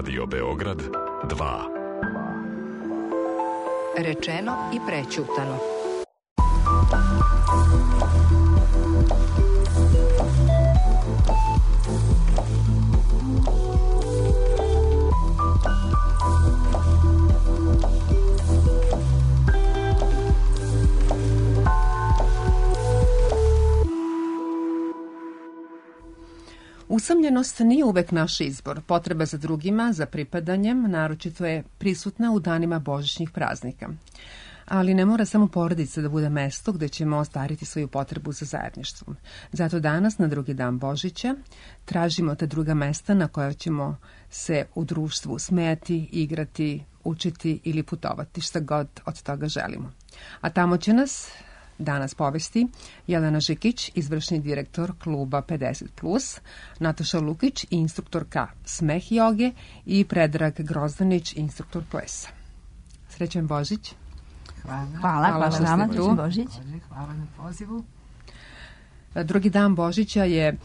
Radio Beograd 2. Rečeno i prećutano. Usamljenost nije uvek naš izbor. Potreba za drugima, za pripadanjem, naročito je prisutna u danima božićnih praznika. Ali ne mora samo porodica da bude mesto gde ćemo ostvariti svoju potrebu za zajedništvom. Zato danas, na drugi dan Božića, tražimo ta druga mesta na koja ćemo se u društvu smejati, igrati, učiti ili putovati, šta god od toga želimo. A tamo će nas danas povesti Jelena Žikić, izvršni direktor kluba 50+, Nataša Lukić, instruktorka smeh joge i Predrag Grozdanić, instruktor plesa. Srećan Božić. Hvala što ste tu. Božić. Hvala na pozivu. Drugi dan Božića je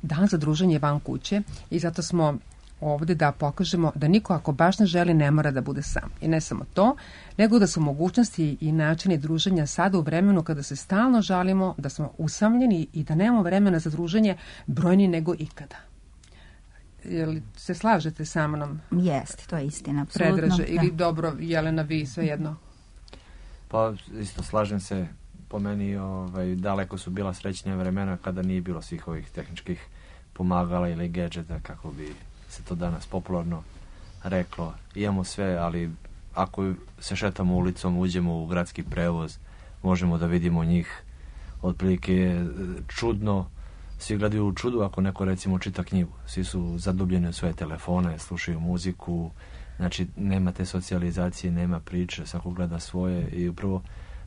dan za druženje van kuće i zato smo ovde da pokažemo da niko ako baš ne želi ne mora da bude sam. I ne samo to, nego da su mogućnosti i načini druženja sada u vremenu kada se stalno žalimo da smo usamljeni i da nemamo vremena za druženje brojni nego ikada. Jel se slažete sa mnom? Jeste, to je istina, apsolutno. Predraže, ili dobro, Jelena, vi svejedno? Pa isto slažem se, po meni daleko su bila srećnija vremena kada nije bilo svih ovih tehničkih pomagala ili gadžeta, kako bi se to danas popularno reklo. Imamo sve, ali ako se šetamo ulicom, uđemo u gradski prevoz, možemo da vidimo njih. Otprilike čudno, svi gledaju u čudu ako neko recimo čita knjigu. Svi su zadubljeni u svoje telefone, slušaju muziku, znači nema te socijalizacije, nema priče, svako gleda svoje i upravo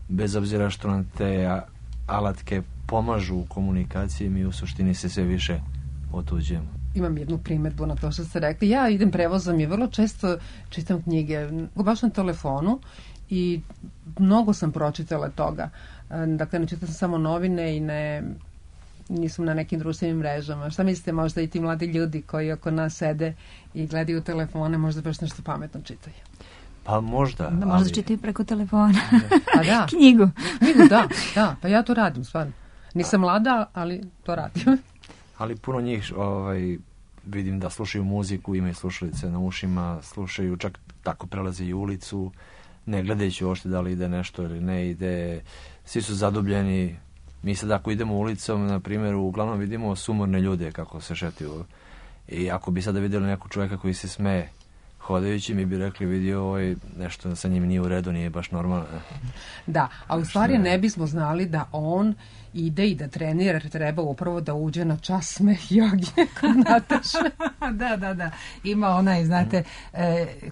bez obzira što nam te alatke pomažu u komunikaciji, mi u suštini se sve više otuđujemo. Imam jednu primjedbu na to što ste rekli. Ja idem prevozom i vrlo često čitam knjige, baš na telefonu, i mnogo sam pročitala toga. Dakle, ne čitam samo novine i nisam na nekim društvenim mrežama. Šta mislite, možda i ti mladi ljudi koji oko nas sede i gledaju telefone, možda baš nešto pametno čitaju? Pa možda. Da, možda čitaju preko telefona. A da. Knjigu, da. Pa ja to radim, stvarno. Nisam mlada, ali to radim. Ali puno njih vidim da slušaju muziku, imaju slušalice na ušima, slušaju, čak tako prelaze i ulicu, ne gledajući uopšte da li ide nešto ili ne ide. Svi su zadubljeni. Mi sad ako idemo ulicom, na primjer, uglavnom vidimo sumorne ljude kako se šetaju. I ako bi sada vidjeli nekog čovjeka koji se smeje hodajući, mi bi rekli, vidio nešto sa njim nije u redu, nije baš normalno. Da, a u stvari ne bismo znali da on ide i da trenira, jer treba upravo da uđe na čas smeh joge kod Nataše. Da. Ima onaj, znate,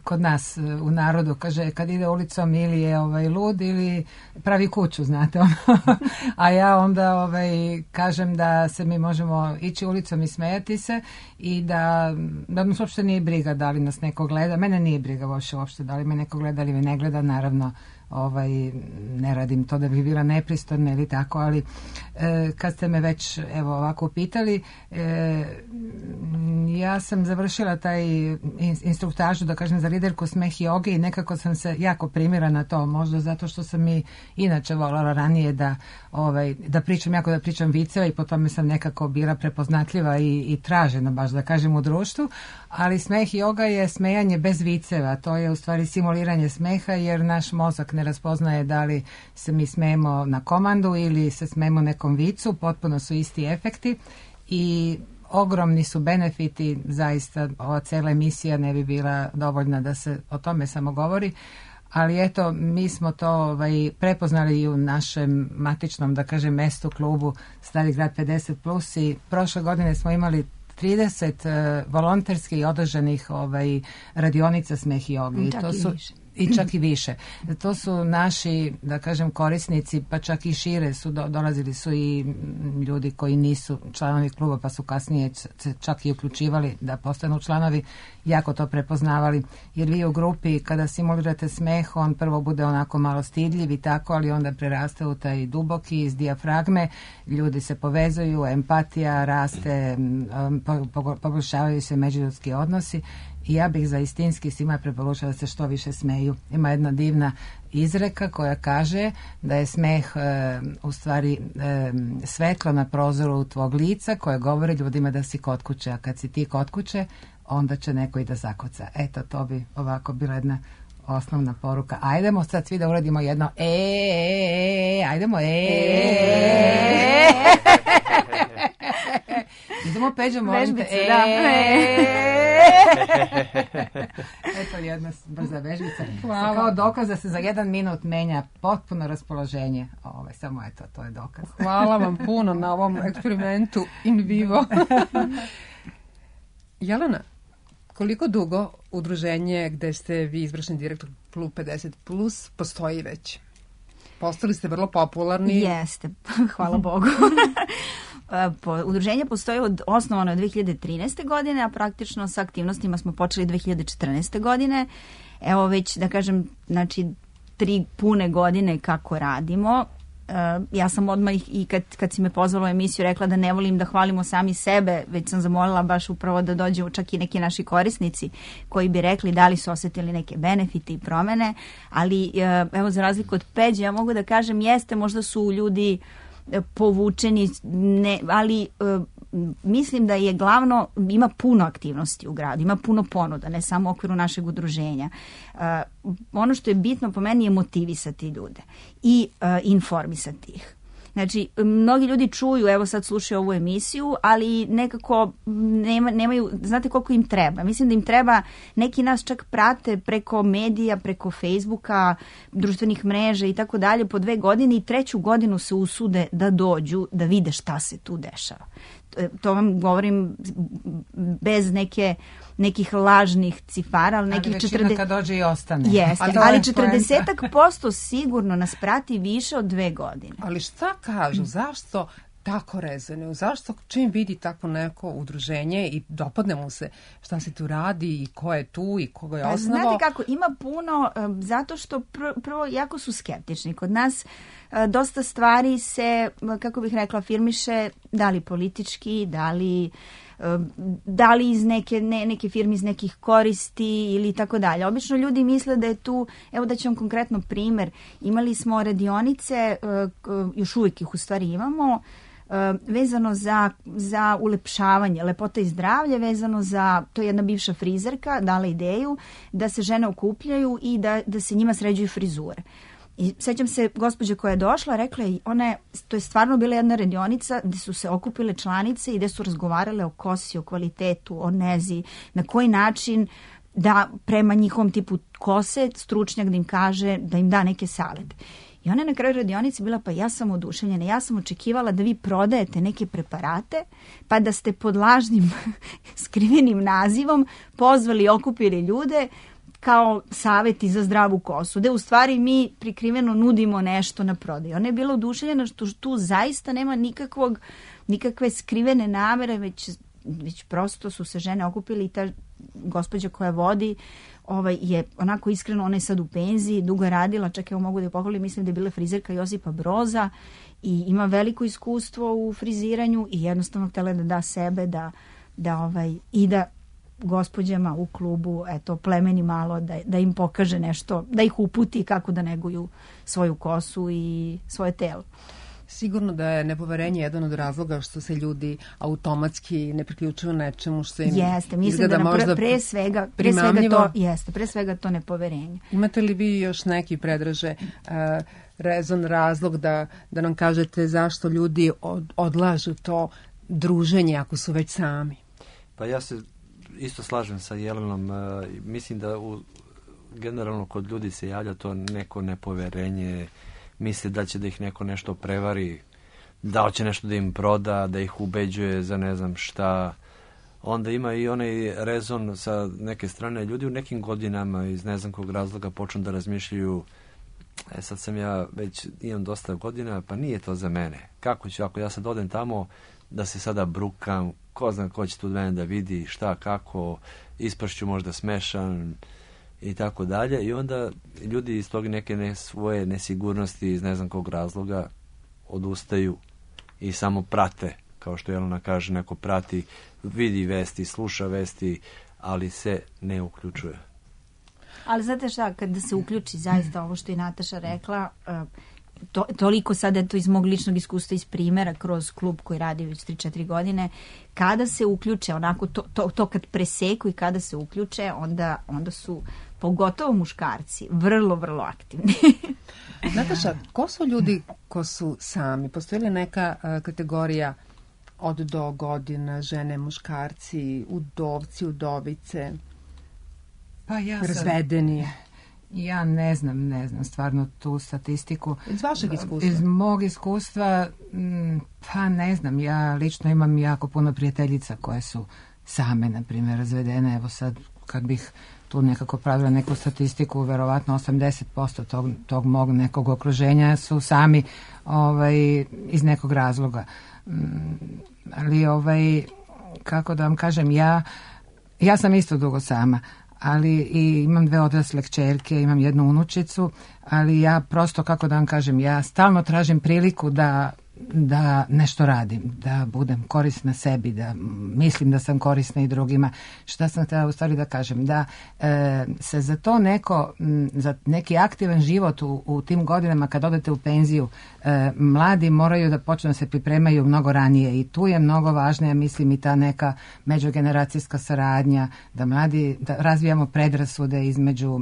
kod nas u narodu, kaže, kad ide ulicom ili je lud ili pravi kuću, znate. A ja onda kažem da se mi možemo ići ulicom i smejati se i da nas uopšte nije briga da li nas neko gleda. Mene nije briga uopšte da li me neko gleda ili me ne gleda, naravno. Ne radim to da bih bila nepristojna ili tako, ali kad ste me već ovako pitali, ja sam završila taj instruktažu, da kažem, za liderku smeh joge i nekako sam se jako primila na to, možda zato što sam i inače voljela ranije da pričam viceva i po tome sam nekako bila prepoznatljiva i tražena, baš da kažem, u društvu, ali smeh joga je smejanje bez viceva, to je u stvari simuliranje smeha, jer naš mozak ne raspoznaje da li se mi smejemo na komandu ili se smejemo nekom vicu, potpuno su isti efekti i ogromni su benefiti, zaista ova cela emisija ne bi bila dovoljna da se o tome samo govori, ali eto, mi smo to prepoznali i u našem matičnom, da kažem, mestu, klubu Stari grad 50+, i prošle godine smo imali 30 volonterski održanih radionica smeh i joge. I čak i više. To su naši, da kažem, korisnici, pa čak i šire dolazili su i ljudi koji nisu članovi kluba, pa su kasnije čak i uključivali da postanu članovi, jako to prepoznavali, jer vi u grupi kada simulirate smeh, on prvo bude onako malo stidljiv i tako, ali onda preraste u taj duboki iz dijafragme, ljudi se povezuju, empatija raste, poboljšavaju se međuljudski odnosi i ja bih zaistinski svima preporučila da se što više smeju. Ima jedna divna izreka koja kaže da je smeh u stvari svetlo na prozoru tvog lica koje govori ljudima da si kod kuće, a kad si ti kod kuće onda će neko i da zakuca. Eto, to bi ovako bila jedna osnovna poruka. Ajdemo sad svi da uradimo jedno ajdemo idemo Peđo, molim te. Eto jedna brza vežbica. Kao dokaz da se za 1 minut menja potpuno raspoloženje. Samo eto, to je dokaz. Hvala vam puno na ovom eksperimentu in vivo. Jelena, koliko dugo udruženje gde ste vi izvršni direktor Klub 50+ postoji već? Postali ste vrlo popularni. Jeste, hvala Bogu. Udruženje postoji osnovano je 2013. godine, a praktično sa aktivnostima smo počeli 2014. godine. Evo već, da kažem, znači 3 pune godine kako radimo. Ja sam odmah i kad si me pozvala u emisiju rekla da ne volim da hvalimo sami sebe, već sam zamolila baš upravo da dođu čak i neki naši korisnici koji bi rekli da li su osjetili neke benefite i promene, ali evo za razliku od Peđe ja mogu da kažem jeste, možda su ljudi povučeni, ali mislim da je glavno, ima puno aktivnosti u gradu, ima puno ponuda, ne samo u okviru našeg udruženja. Ono što je bitno po meni je motivisati ljude i informisati ih. Znači, mnogi ljudi čuju, evo sad slušaju ovu emisiju, ali nekako nemaju, znate koliko im treba. Mislim da im treba, neki nas čak prate preko medija, preko Facebooka, društvenih mreža i tako dalje po 2 godine i 3. godinu se usude da dođu, da vide šta se tu dešava. To vam govorim bez nekih lažnih cifara, ali nekih 40... kad dođe i ostane. Jeste, ali 40% sigurno nas prati više od 2 godine. Ali šta kažu, zašto tako rezonuju? Zašto čim vidi tako neko udruženje i dopadne mu se šta se tu radi i ko je tu i koga je osnovao? Znate kako, ima puno, zato što prvo jako su skeptični. Kod nas dosta stvari se, kako bih rekla, afirmiše da li politički, da li iz neke firme iz nekih koristi ili tako dalje. Obično ljudi misle da je tu, evo da ću vam konkretno primjer, imali smo radionice, još uvijek ih u stvari imamo, vezano za ulepšavanje, lepota i zdravlje, vezano za, to je jedna bivša frizerka dala ideju da se žene okupljaju i da se njima sređuju frizure. I sećam se gospođe koja je došla, rekla je, to je stvarno bila jedna radionica gdje su se okupile članice i gdje su razgovarale o kosi, o kvalitetu, o nezi, na koji način da prema njihovom tipu kose stručnjak da im kaže, da im da neke savete. I ona je na kraju radionice bila, pa ja sam oduševljena, ja sam očekivala da vi prodajete neke preparate, pa da ste pod lažnim skrivenim nazivom pozvali i okupili ljude kao savjeti za zdravu kosu, da u stvari mi prikriveno nudimo nešto na prodaju. Ona je bila oduševljena što tu zaista nema nikakve skrivene namere, već prosto su se žene okupili i ta gospođa koja vodi je onako iskreno, ona je sad u penziji, dugo je radila, čak evo mogu da je pohvalim, mislim da je bila frizerka Josipa Broza i ima veliko iskustvo u friziranju i jednostavno htjela da da sebe, i da gospođama u klubu, eto, plemeni malo, da im pokaže nešto, da ih uputi kako da neguju svoju kosu i svoje telo. Sigurno da je nepoverenje jedan od razloga što se ljudi automatski ne priključuju nečemu što im jeste, mislim da možda pre svega to nepoverenje. Imate li vi još neki predraže rezon, razlog da nam kažete zašto ljudi odlažu to druženje ako su već sami? Pa ja se isto slažem sa Jelenom. Mislim da generalno kod ljudi se javlja to neko nepoverenje, misle da će da ih neko nešto prevari, da hoće nešto da im proda, da ih ubeđuje za ne znam šta. Onda ima i onaj rezon sa neke strane. Ljudi u nekim godinama iz ne znam kog razloga počnu da razmišljaju, sad sam ja već imam dosta godina, pa nije to za mene. Kako ću, ako ja sad odem tamo, da se sada brukam, ko zna ko će tu od mene da vidi šta, kako, ispašću možda smešan i tako dalje. I onda ljudi iz tog neke svoje nesigurnosti iz ne znam kog razloga odustaju i samo prate, kao što Jelena kaže, neko prati, vidi vesti, sluša vesti, ali se ne uključuje. Ali znate šta, kada se uključi zaista ovo što je Nataša rekla, toliko sada to iz mog ličnog iskustva, iz primjera kroz klub koji radi već 3-4 godine, kada se uključe, onako to kad preseku i kada se uključe, onda su pogotovo muškarci vrlo, vrlo aktivni. Nataša, ko su ljudi ko su sami? Postoji li neka kategorija od do godina, žene, muškarci, udovci, udovice, Pa razvedeni? Ja ne znam stvarno tu statistiku. Iz vašeg iskustva? Iz mog iskustva, pa ne znam, ja lično imam jako puno prijateljica koje su same, na primjer, razvedene. Evo sad, kad bih tu nekako pravila neku statistiku, verovatno 80% tog mog nekog okruženja su sami iz nekog razloga. Ali, kako da vam kažem, ja sam isto dugo sama, ali i imam 2 odrasle kćerke, imam 1 unučicu, ali ja prosto, kako da vam kažem, ja stalno tražim priliku da nešto radim, da budem korisna sebi, da mislim da sam korisna i drugima. Šta sam htjela u stvari da kažem? Da se za to za neki aktivan život u tim godinama kad odete u penziju, mladi moraju da počnu da se pripremaju mnogo ranije i tu je mnogo važna, ja mislim, i ta neka međugeneracijska saradnja, da razvijamo predrasude između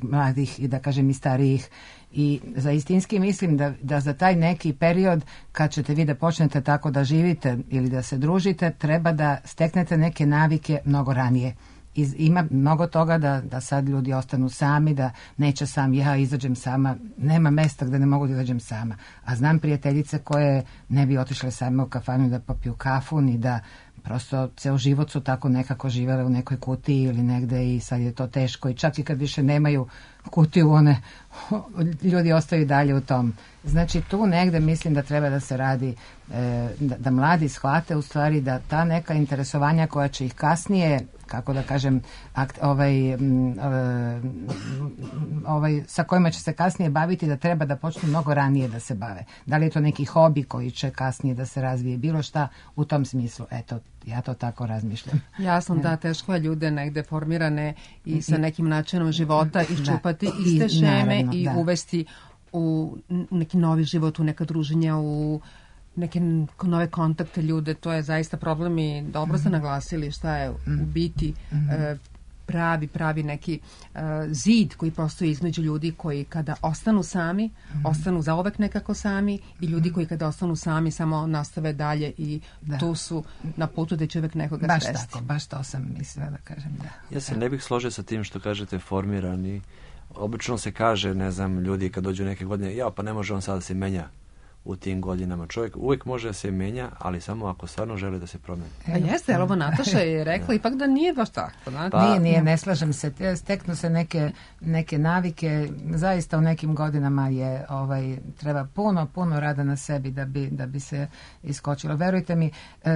mladih i da kažem i starijih. I zaistinski mislim da za taj neki period kad ćete vi da počnete tako da živite ili da se družite, treba da steknete neke navike mnogo ranije. Ima mnogo toga da sad ljudi ostanu sami, da neće sam ja izađem sama, nema mesta gde ne mogu da izađem sama. A znam prijateljice koje ne bi otišle same u kafanu da popiju kafu, ni da prosto ceo život su tako nekako živele u nekoj kutiji ili negde i sad je to teško i čak i kad više nemaju kutiju, ljudi ostaju dalje u tom. Znači tu negde mislim da treba da se radi, da mladi shvate u stvari da ta neka interesovanja koja će ih kasnije, kako da kažem, sa kojima će se kasnije baviti, da treba da počnu mnogo ranije da se bave. Da li je to neki hobi koji će kasnije da se razvije, bilo šta u tom smislu. Eto, ja to tako razmišljam. Jasno, da, teško je ljude negde formirane i sa nekim načinom života iščupati iste šeme i uvesti u neki novi život, u neka druženja, u neke nove kontakte ljude. To je zaista problem i dobro ste naglasili šta je u biti pravi neki zid koji postoji između ljudi koji kada ostanu sami, ostanu zauvek nekako sami i ljudi koji kada ostanu sami samo nastave dalje i tu su na putu da će uvek nekoga sresti. Baš to sam mislila da kažem, da. Ja se ne bih složio sa tim što kažete formirani. Obično se kaže, ne znam, ljudi kad dođu neke godine, pa ne može on sada da se menja u tim godinama. Čovjek uvijek može da se menja, ali samo ako stvarno želi da se promeni. Jeste, ali ovo Nataša je rekla ipak da nije baš tako. Nije, ne slažem se. Steknu se neke navike. Zaista u nekim godinama je treba puno rada na sebi da bi se iskočilo. Verujte mi,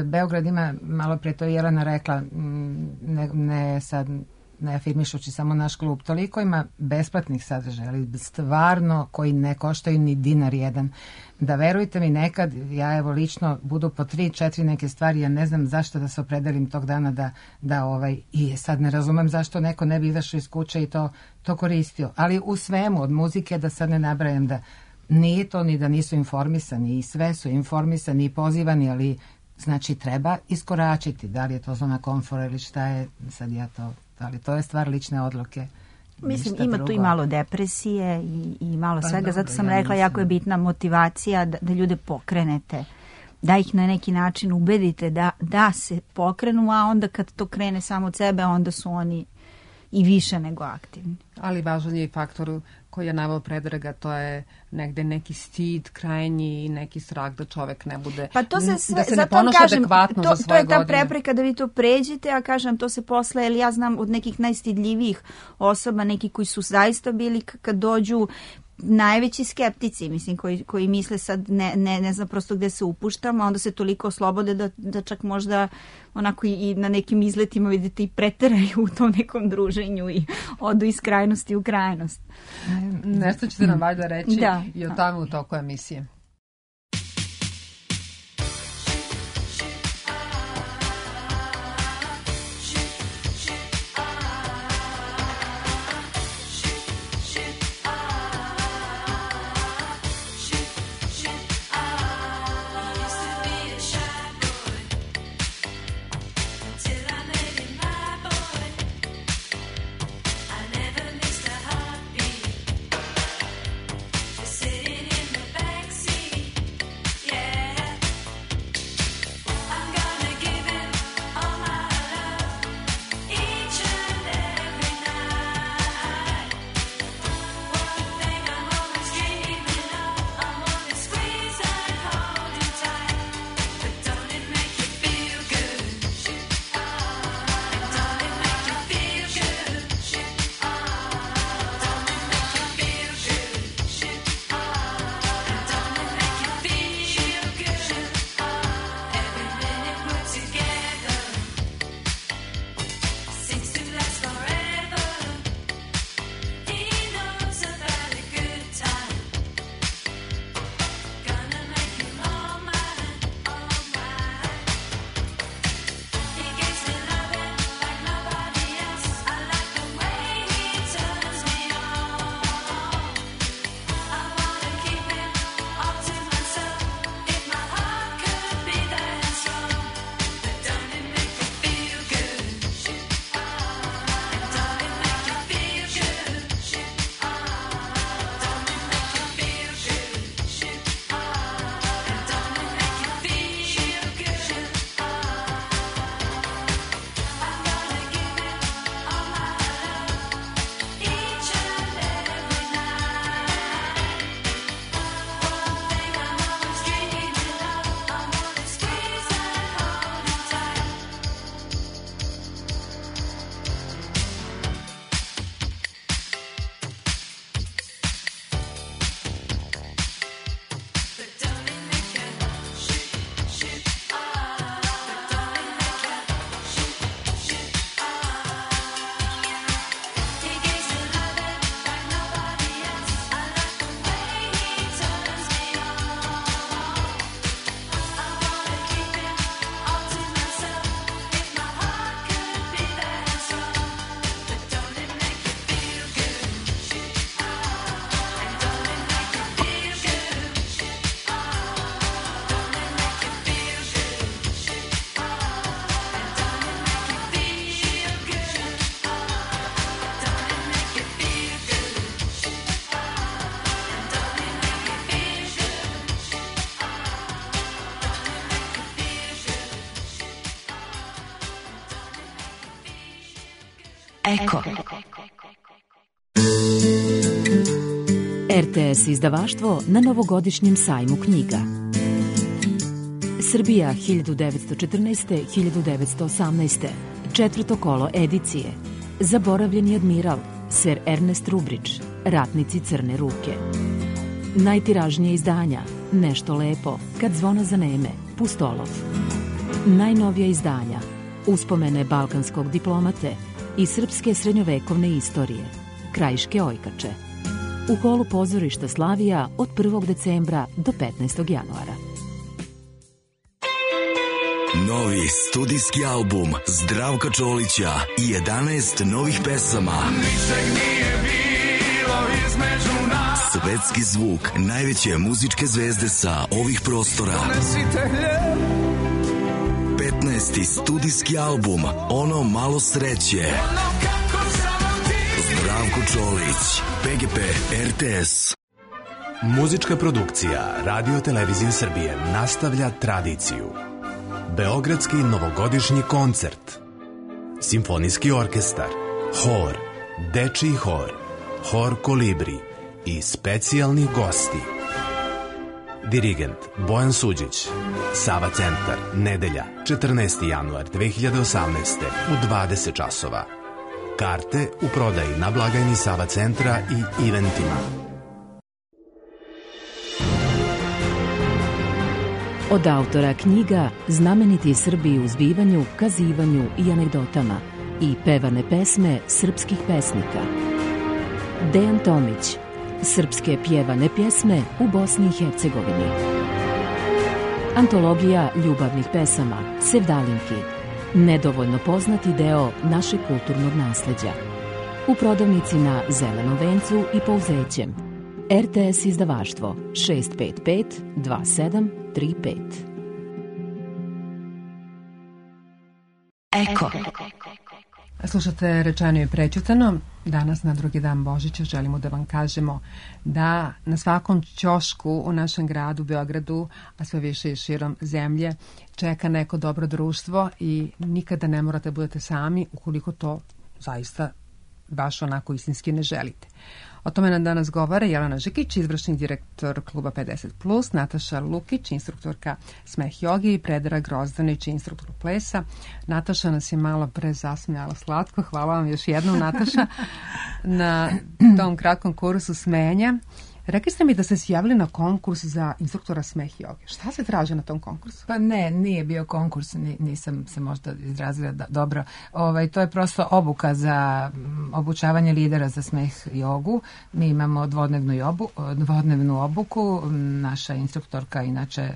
Beograd ima, malo prije to je Jelena rekla, ne sad ne afirmišući samo naš klub, toliko ima besplatnih sadržaja, ali stvarno koji ne koštaju ni dinar jedan. Da verujte mi, nekad ja evo lično budu po 3-4 neke stvari, ja ne znam zašto da se opredelim tog dana i sad ne razumem zašto neko ne bi izašao iz kuće i to koristio. Ali u svemu, od muzike, da sad ne nabrajam, da nije to ni da nisu informisani i sve su informisani i pozivani, ali znači treba iskoračiti. Da li je to zona komfora ili šta je, sad ali to je stvar lične odluke. Mislim, ima tu i malo depresije i malo svega, zato sam rekla, jako je bitna motivacija da ljude pokrenete, da ih na neki način ubedite da se pokrenu, a onda kad to krene samo od sebe, onda su oni i više nego aktivni. Ali važan je i faktor koji je naveo Predraga, to je negde neki stid krajnji i neki strah da čovek ne bude, pa to se da se ne ponaša adekvatno za svoje godine. To je ta prepreka da vi to pređete, a kažem, to se posle, jer ja znam od nekih najstidljivijih osoba, neki koji su zaista bili kad dođu najveći skeptici, mislim, koji misle sad ne znam prosto gde se upuštamo, a onda se toliko oslobode da čak možda onako i na nekim izletima vidite i preteraju u tom nekom druženju i odu iz krajnosti u krajnost. Nešto ćete nam valjda reći i o tome u toku emisije. Eko. RTS izdavaštvo na novogodišnjem sajmu knjiga. Srbija 1914-1918. Četvrto kolo edicije. Zaboravljeni admiral, Sir Ernest Rubridge, Ratnici crne ruke. Najtiražnije izdanja, Nešto lepo, Kad zvona zaneme, Pustolov. Najnovija izdanja, Uspomene balkanskog diplomate i srpske srednjovekovne istorije, Krajiške ojkače. U holu pozorišta Slavija od 1. decembra do 15. januara. Novi studijski album Zdravka Čolića i 11 novih pesama. Svetski zvuk najveće muzičke zvezde sa ovih prostora. 15. studijski album Ono malo sreće. Zdravko Čolić, PGP RTS. Muzička produkcija Radio Televizije Srbije nastavlja tradiciju. Beogradski novogodišnji koncert, Simfonijski orkestar, Hor, Dečiji hor, Hor Kolibri i specijalni gosti. Dirigent Bojan Suđić. Sava centar, nedelja, 14. januar 2018. u 20 časova. Karte u prodaji na blagajni Sava centra i eventima. Od autora knjiga Znameniti Srbi u zbivanju, kazivanju i anegdotama i pevane pesme srpskih pesnika. Dejan Tomić. Srpske pjevane pjesme u Bosni i Hercegovini. Antologija ljubavnih pesama, Sevdalinki. Nedovoljno poznati deo našeg kulturnog nasleđa. U prodavnici na Zelenom vencu i Pouzećem. RTS izdavaštvo 655 2735. Eko. Slušate Rečeno i prećutano. Danas na drugi dan Božića želimo da vam kažemo da na svakom ćošku u našem gradu, Beogradu, a sve više i širom zemlje, čeka neko dobro društvo i nikada ne morate budete sami ukoliko to zaista baš onako istinski ne želite. O tome nam danas govore Jelena Žikić, izvršni direktor kluba 50+, Nataša Lukić, instruktorka smeh joge i Predrag Grozdanić, instruktor plesa. Nataša nas je malo pre zasmijala slatko. Hvala vam još jednom, Nataša, na tom kratkom kursu smenja. Rekli ste mi da ste se javili na konkurs za instruktora smeh joge. Šta se traži na tom konkursu? Pa ne, nije bio konkurs, nisam se možda izrazila dobro. To je prosto obuka za obučavanje lidera za smeh jogu. Mi imamo dvodnevnu obuku. Naša instruktorka, inače,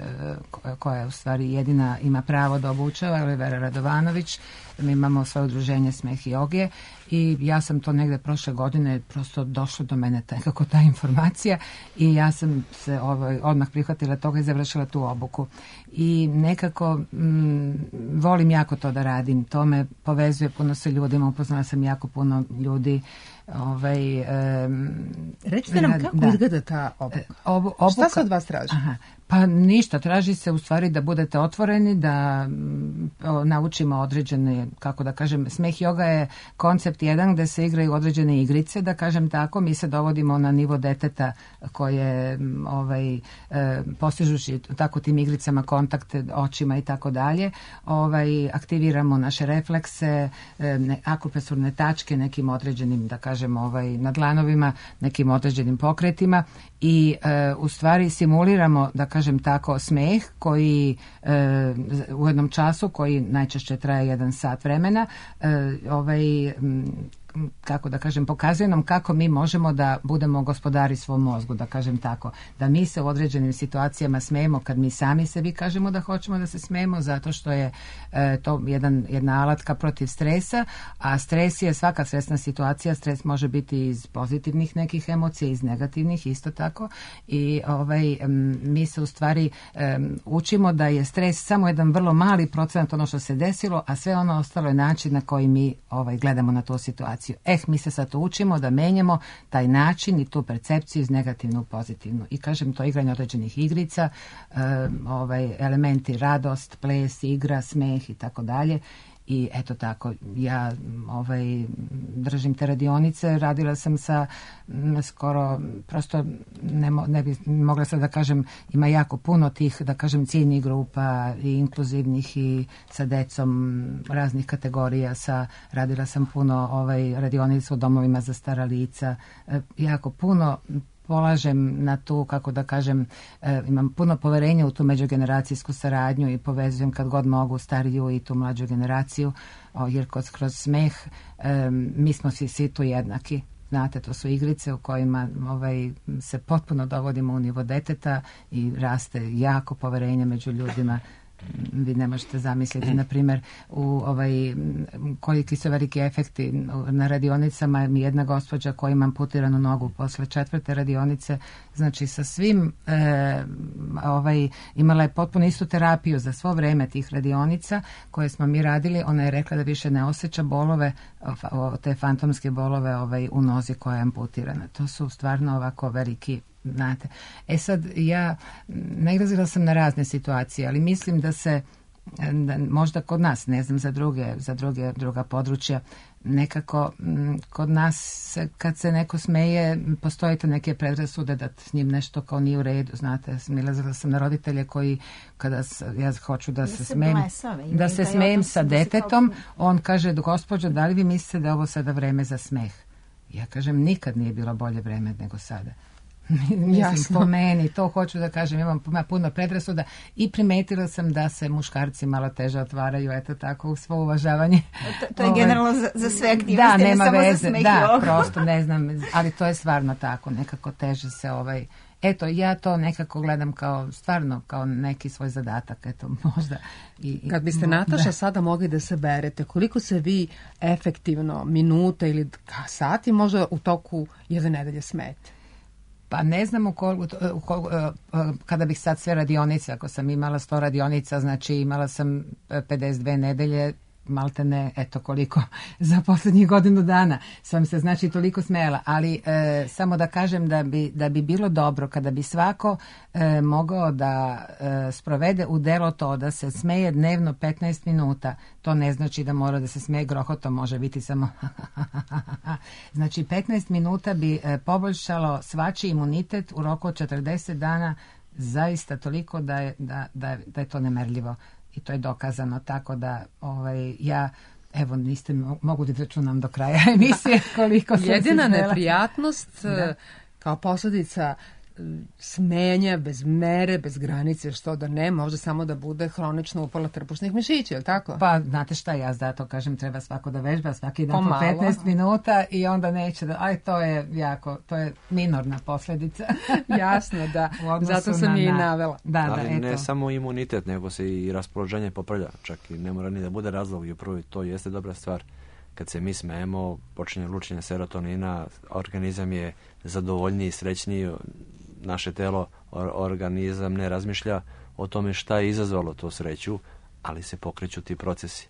koja je u stvari jedina ima pravo da obučava, Olivera Radovanović. Mi imamo svoje udruženje smeh joge i ja sam to negde prošle godine prosto došlo do mene nekako ta informacija i ja sam se odmah prihvatila toga i završila tu obuku. I nekako volim jako to da radim. To me povezuje puno sa ljudima, upoznala sam jako puno ljudi. Recite nam kako izgleda ta obuka. Šta se od vas traži? Pa ništa, traži se u stvari da budete otvoreni, da naučimo određene, kako da kažem, smeh joga je koncept jedan gde se igraju određene igrice, da kažem tako, mi se dovodimo na nivo deteta koje postižući tako tim igricama kontakte očima i tako dalje, aktiviramo naše reflekse, akupresurne tačke nekim određenim, da kažem, na dlanovima, nekim određenim pokretima i u stvari simuliramo, da kažem tako, smeh koji u jednom času, koji najčešće traje 1 sat vremena, kako da kažem, pokazuje nam kako mi možemo da budemo gospodari svom mozgu, da kažem tako. Da mi se u određenim situacijama smejemo kad mi sami sebi kažemo da hoćemo da se smejemo, zato što je to jedna alatka protiv stresa, a stres je svaka stresna situacija. Stres može biti iz pozitivnih nekih emocija, iz negativnih isto tako. I mi se u stvari učimo da je stres samo jedan vrlo mali procenat ono što se desilo, a sve ono ostalo je način na koji mi gledamo na tu situaciju. Mi se sad učimo da menjamo taj način i tu percepciju iz negativnu u pozitivnu. I kažem, to igranje određenih igrica, elementi radost, ples, igra, smeh i tako dalje. i eto tako, ja držim te radionice, radila sam sa skoro, prosto ne bi mogla sad da kažem, ima jako puno tih, da kažem, ciljnih grupa i inkluzivnih i sa decom raznih kategorija, radila sam puno radionica u domovima za stara lica, jako puno polažem na tu, kako da kažem, imam puno poverenja u tu međugeneracijsku saradnju i povezujem kad god mogu stariju i tu mlađu generaciju, jer kroz smeh mi smo svi tu jednaki. Znate, to su igrice u kojima se potpuno dovodimo u nivo deteta i raste jako poverenje među ljudima. Vi ne možete zamisliti, na primjer, koliki su veliki efekti na radionicama. Mi jedna gospođa koja ima amputiranu nogu posle 4. radionice, znači sa svim imala je potpuno istu terapiju za svo vreme tih radionica koje smo mi radili. Ona je rekla da više ne osjeća bolove, te fantomske bolove u nozi koja je amputirana. To su stvarno ovako veliki, znate. Sad, ja nailazila sam na razne situacije, ali mislim da možda kod nas, ne znam za druga područja, nekako kod nas kad se neko smeje, postoje te neke predrasude da s njim nešto kao nije u redu, znate. Nailazila sam na roditelje koji, kada ja hoću da se smejem sa detetom, on kaže, gospođo, da li vi mislite da je ovo sada vreme za smeh? Ja kažem, nikad nije bilo bolje vreme nego sada. Mislim, po meni, to hoću da kažem, imam puno predrasuda i primetila sam da se muškarci malo teže otvaraju, eto tako, u svo uvažavanje. To je generalno za sve aktivnosti, da, nema ne samo veze, za smeh da, i oko. prosto ne znam, ali to je stvarno tako, nekako teže se eto, ja to nekako gledam stvarno kao neki svoj zadatak, eto, možda. Kad biste, Nataša, sada mogli da se berete, koliko se vi efektivno minuta ili sati možda u toku jedne nedelje smete? Pa ne znam kada bih sad sve radionice, ako sam imala 100 radionica, znači imala sam 52 nedelje, malte ne, eto koliko za posljednjih godinu dana sam se znači toliko smela, ali samo da kažem da bi bilo dobro kada bi svako mogao da sprovede u delo to da se smeje dnevno 15 minuta. To ne znači da mora da se smeje grohotom, može biti samo znači 15 minuta bi poboljšalo svačiji imunitet u roku od 40 dana, zaista toliko da je to nemerljivo. I to je dokazano, tako da ja, evo, niste mogu da računam do kraja emisije koliko sam jedina neprijatnost kao posljedica smenja bez mere, bez granice, što da ne, može samo da bude hronično upala trbušnih mišića, je li tako? Pa, znate šta, ja zato kažem, treba svako da vežba, svaki dan po 15 minuta i onda neće da, to je jako, to je minorna posljedica. Jasno, da, zato sam je i navela. Ali ne samo imunitet, nego se i raspoloženje popravlja, čak i ne mora ni da bude razlog i upravo to jeste dobra stvar. Kad se mi smejemo, počinje lučenje serotonina, organizam je zadovoljniji, srećniji, naše telo, organizam ne razmišlja o tome šta je izazvalo to sreću, ali se pokreću ti procesi.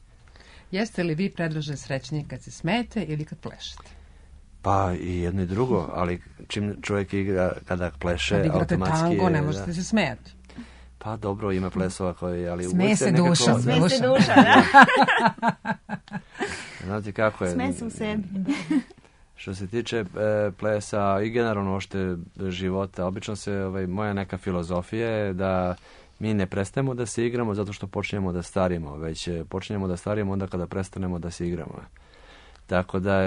Jeste li vi predloženi srećniji kad se smete ili kad plešete? Pa i jedno i drugo, ali čim čovjek igra, kada pleše, kad igrate automatski tango, ne možete se smijati. Pa dobro, ima plesova koji, ali smeje se duša. Smeje se duša, da. Znate kako je? Smeje se u sebi. Što se tiče plesa i generalno ošte života, obično se, moja neka filozofija je da mi ne prestajemo da se igramo zato što počinjemo da starimo, već počinjemo da starimo onda kada prestanemo da se igramo. Tako da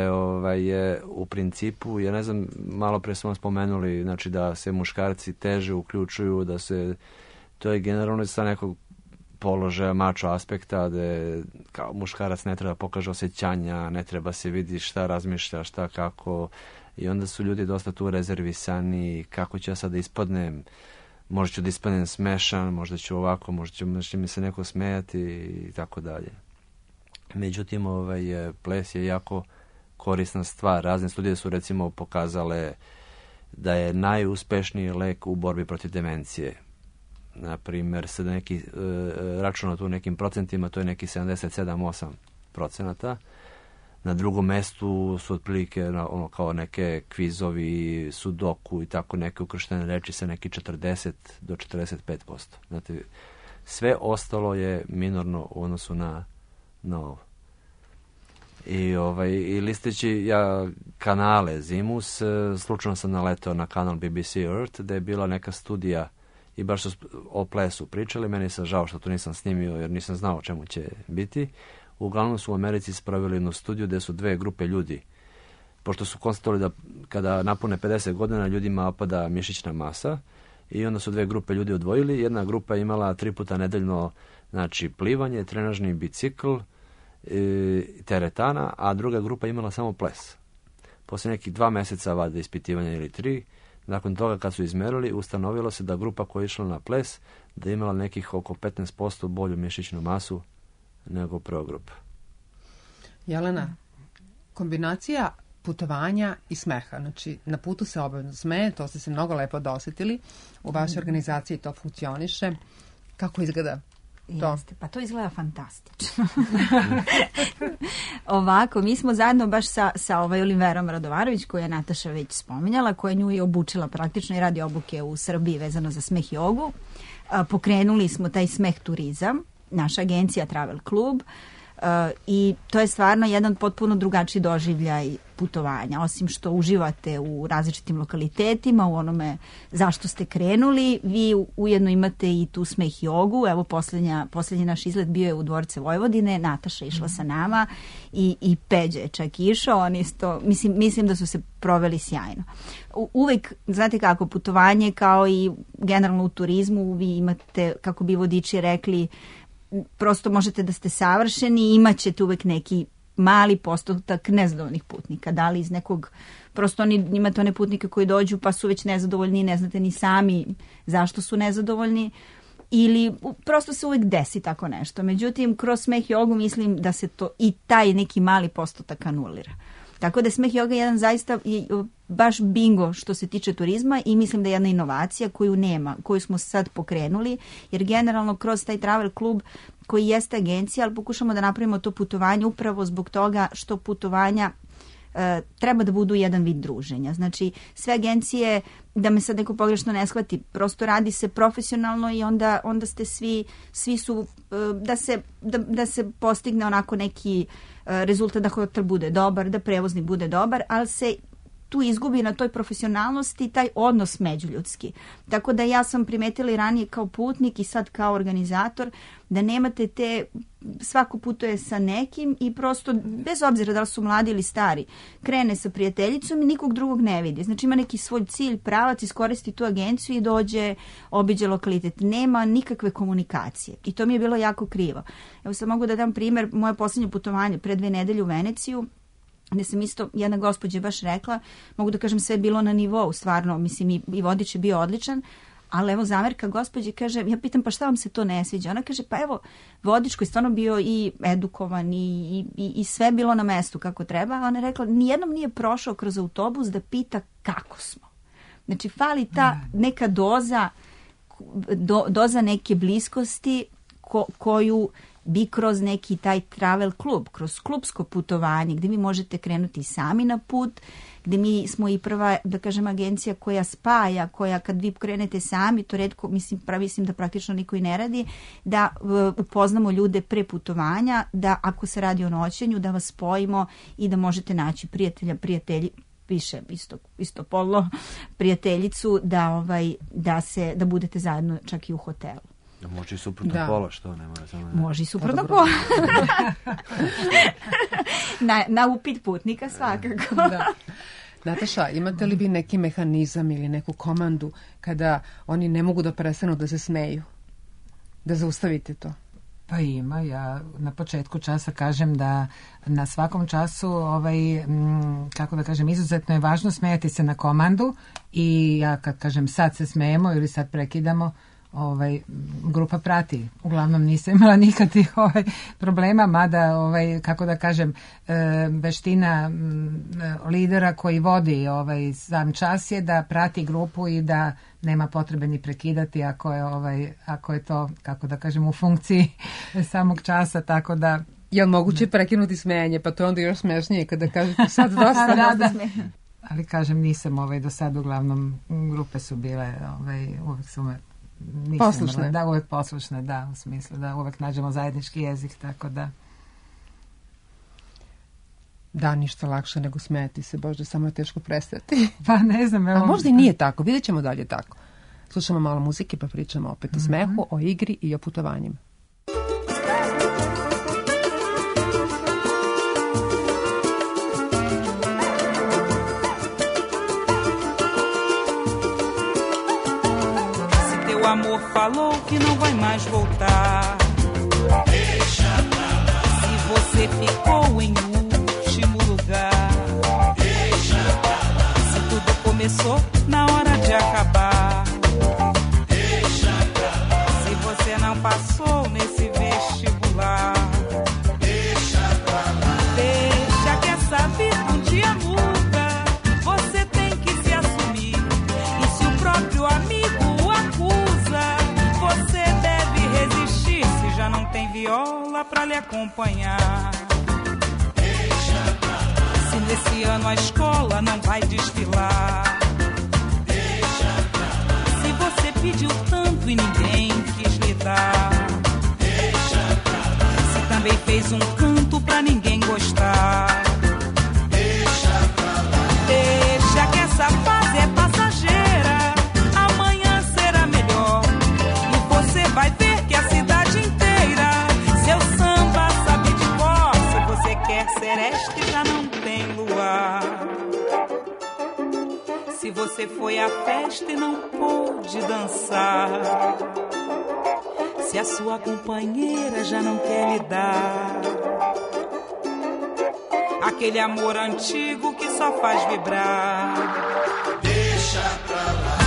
je u principu, ja ne znam, malo pre smo spomenuli, znači da se muškarci teže uključuju, da se, to je generalno sa nekog položaja mačo aspekta, da kao muškarac ne treba pokaže osjećanja, ne treba se vidi šta razmišlja, šta kako, i onda su ljudi dosta tu rezervisani, kako ću ja sad da ispadnem, možda ću da ispadnem smešan, možda ću ovako, možda će mi se neko smejati i tako dalje. Međutim, ples je jako korisna stvar. Razne studije su recimo pokazale da je najuspešniji lek u borbi protiv demencije. Na primjer, se da neki računa tu nekim procentima, to je neki 77-8%. Na drugom mestu su otprilike kao neke kvizovi, sudoku i tako neke ukrštene reči sa neki 40 do 45%. Znate, sve ostalo je minorno u odnosu na ovo. I listeći ja kanale Zimus, slučajno sam naletao na kanal BBC Earth, gde je bila neka studija i baš su o plesu pričali. Meni se žao što to nisam snimio, jer nisam znao o čemu će biti. Uglavnom su u Americi spravili jednu studiju gde su dve grupe ljudi, pošto su konstatovali da kada napune 50 godina ljudima opada mišićna masa, i onda su dve grupe ljudi odvojili. Jedna grupa je imala 3 puta nedeljno, znači, plivanje, trenažni bicikl, teretana, a druga grupa imala samo ples. Posle nekih 2 meseca vade ispitivanja ili 3, nakon toga kad su izmerili, ustanovilo se da grupa koja je išla na ples da je imala nekih oko 15% bolju mišićnu masu nego prva grupa. Jelena, kombinacija putovanja i smeha, znači na putu se obavezno smeje, to ste se mnogo lepo dosjetili, u vašoj organizaciji to funkcioniše. Kako izgleda to? Jeste, pa to izgleda fantastično. Ovako, mi smo zajedno baš sa Oliverom Radovarović, koju je Nataša već spominjala, koja nju je obučila praktično i radi obuke u Srbiji vezano za smeh jogu. Pokrenuli smo taj smeh turizam, naša agencija Travel Club, i to je stvarno jedan potpuno drugačiji doživljaj putovanja. Osim što uživate u različitim lokalitetima, u onome zašto ste krenuli, vi ujedno imate i tu smeh jogu. Evo, posljednji naš izlet bio je u Dvorce Vojvodine, Nataša išla sa nama i Peđa je čak išao. On isto, mislim da su se proveli sjajno. Uvek, znate kako, putovanje kao i generalno u turizmu, vi imate, kako bi vodiči rekli, prosto možete da ste savršeni i imat ćete uvek neki mali postotak nezadovoljnih putnika. Da li iz nekog, prosto imate one putnike koji dođu pa su već nezadovoljni i ne znate ni sami zašto su nezadovoljni, ili prosto se uvek desi tako nešto. Međutim, kroz smeh jogu mislim da se to i taj neki mali postotak anulira. Tako da smeh joga je jedan zaista baš bingo što se tiče turizma i mislim da je jedna inovacija koju nema, koju smo sad pokrenuli, jer generalno kroz taj Travel Club koji jeste agencija, ali pokušamo da napravimo to putovanje upravo zbog toga što putovanja treba da budu jedan vid druženja. Znači, sve agencije, da me sad neko pogrešno ne shvati, prosto radi se profesionalno i onda ste svi su, da se postigne onako neki rezultat, da hotel bude dobar, da prevoznik bude dobar, ali se tu izgubi na toj profesionalnosti taj odnos međuljudski. Tako da ja sam primetila i ranije kao putnik i sad kao organizator da nemate svako putuje sa nekim i prosto, bez obzira da li su mladi ili stari, krene sa prijateljicom i nikog drugog ne vidi. Znači ima neki svoj cilj, pravac, iskoristi tu agenciju i dođe, obiđe lokalitet. Nema nikakve komunikacije i to mi je bilo jako krivo. Evo sad mogu da dam primjer, moje posljednje putovanje pre 2 nedelje u Veneciju, gde sam isto, jedna gospođa baš rekla, mogu da kažem sve je bilo na nivou, stvarno, mislim i vodič je bio odličan, ali evo zamerka gospođi kaže, ja pitam pa šta vam se to ne sviđa? Ona kaže pa evo vodič koji je stvarno bio i edukovan i sve bilo na mestu kako treba, a ona je rekla nijednom nije prošao kroz autobus da pita kako smo. Znači fali ta neka doza neke bliskosti koju bi kroz neki taj travel klub, kroz klubsko putovanje gdje vi možete krenuti sami na put, gdje mi smo i prva, da kažem, agencija koja spaja, koja kad vi krenete sami, to retko, mislim da praktično niko i ne radi, da upoznamo ljude pre putovanja, da ako se radi o noćenju, da vas spojimo i da možete naći prijatelji, više istopolno prijateljicu, da budete zajedno čak i u hotelu. Može i suprotno pola, što ne mora samo... Može i suprotno pola. na upit putnika svakako. Da. Nataša, imate li vi neki mehanizam ili neku komandu kada oni ne mogu da prestanu da se smeju? Da zaustavite to? Pa ima, ja na početku časa kažem da na svakom času, kako da kažem, izuzetno je važno smejati se na komandu i ja kad kažem sad se smejemo ili sad prekidamo, grupa prati. Uglavnom nisam imala nikakvih problema, mada kako da kažem, veština lidera koji vodi sam čas je da prati grupu i da nema potrebe ni prekidati ako je to, kako da kažem, u funkciji samog časa, tako da... Je li moguće prekinuti smejanje? Pa to je onda još smešnije kada kažete sad dosta. Ali kažem, nisam do sad, uglavnom grupe su bile, uvek su me poslušne. Da, uvek poslušne, da, u smislu da uvek nađemo zajednički jezik, tako da... Da, ništa lakše nego smijeti se, Bože, samo je teško prestati. Pa ne znam, evo. A možda i nije tako, vidjet ćemo dalje tako. Slušamo malo muzike pa pričamo opet o smehu, o igri i o putovanjima. O amor falou que não vai mais voltar. Deixa pra lá. Se você ficou em último lugar. Deixa pra lá. Se tudo começou na hora de acabar. Deixa pra lá. Se você não passou nesse vestibular. Deixa pra lá. Deixa que essa vida um dia muda. Você tem que se assumir. E se o próprio amigo você deve resistir se já não tem viola pra lhe acompanhar. Deixa pra lá. Se nesse ano a escola não vai desfilar. Deixa pra lá. Se você pediu tanto e ninguém quis lhe dar. Deixa pra lá. Se também fez um canto pra ninguém gostar. Deixa pra lá. Deixa que essa fase é passageira. Vai ver que a cidade inteira seu samba sabe de cor. Se você quer sereste já não tem luar. Se você foi à festa e não pôde dançar. Se a sua companheira já não quer lhe dar aquele amor antigo que só faz vibrar. Deixa pra lá.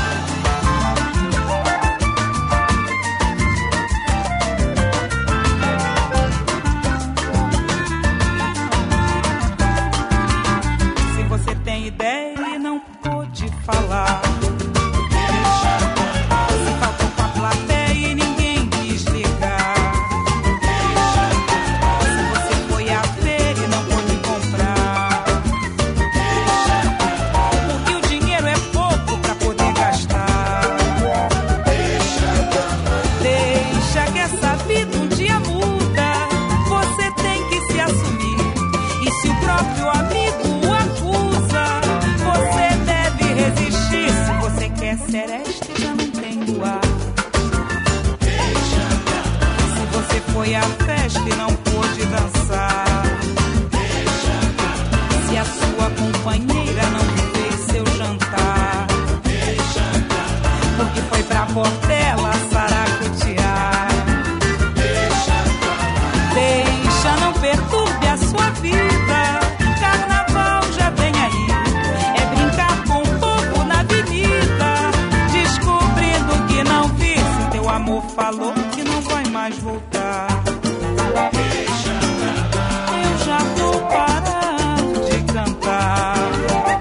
Tem ideia e não pôde falar. Deixa pra lá. Se faltou com a plateia e ninguém quis ligar. Deixa pra lá. Se você foi à feira e não pôde comprar. Deixa pra lá. Porque o dinheiro é pouco pra poder gastar. Deixa pra lá. Deixa que essa vida um dia muda. Você tem que se assumir. E se o próprio amigo sereste já não tem luar. Deixa pra lá. Se você foi à festa e não pôde dançar. Deixa pra lá. Se a sua companheira não fez seu jantar. Deixa pra lá. Porque foi pra Portela saracotear. Deixa pra lá. Deixa, não perturbe a sua vida. Carnaval já vem aí. É brincar com o povo na avenida. Não vi se teu amor falou que não vai mais voltar. Deixa pra lá. Eu já vou parar de cantar.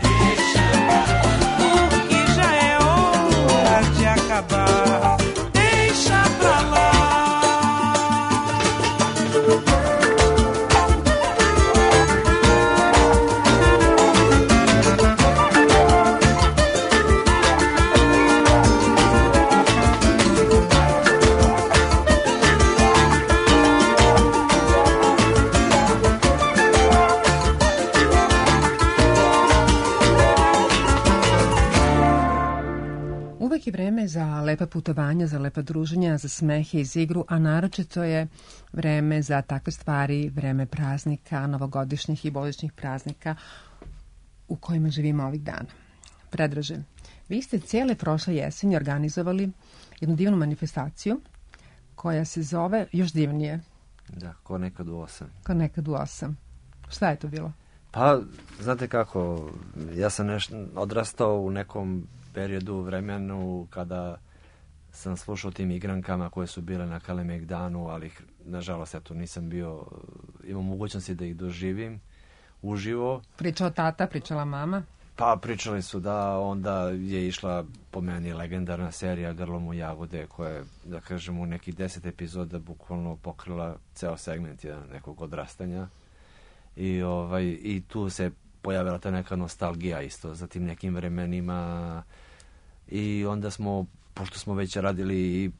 Deixa pra lá. Porque já é hora de acabar. Deixa pra lá. Uvek je vreme za lepa putovanja, za lepa druženja, za smehe iz igru, a naročito je vreme za takve stvari, vreme praznika, novogodišnjih i božićnih praznika u kojima živimo ovih dana. Predraže, vi ste cijele prošle jeseni organizovali jednu divnu manifestaciju koja se zove još divnije. Da, ko nekad u 8. Ko nekad u 8. Šta je to bilo? Pa, znate kako, ja sam odrastao u nekom periodu, vremenu kada sam slušao tim igrankama koje su bile na Kalemegdanu, ali nažalost eto nisam bio, imao mogućnosti da ih doživim uživo. Pričao tata, pričala mama? Pa pričali su da onda je išla po meni legendarna serija Grlom u jagode koja je, da kažem, u nekih 10 epizoda bukvalno pokrila ceo segment nekog odrastanja i tu se pojavila ta neka nostalgija isto za tim nekim vremenima i onda smo, pošto smo već radili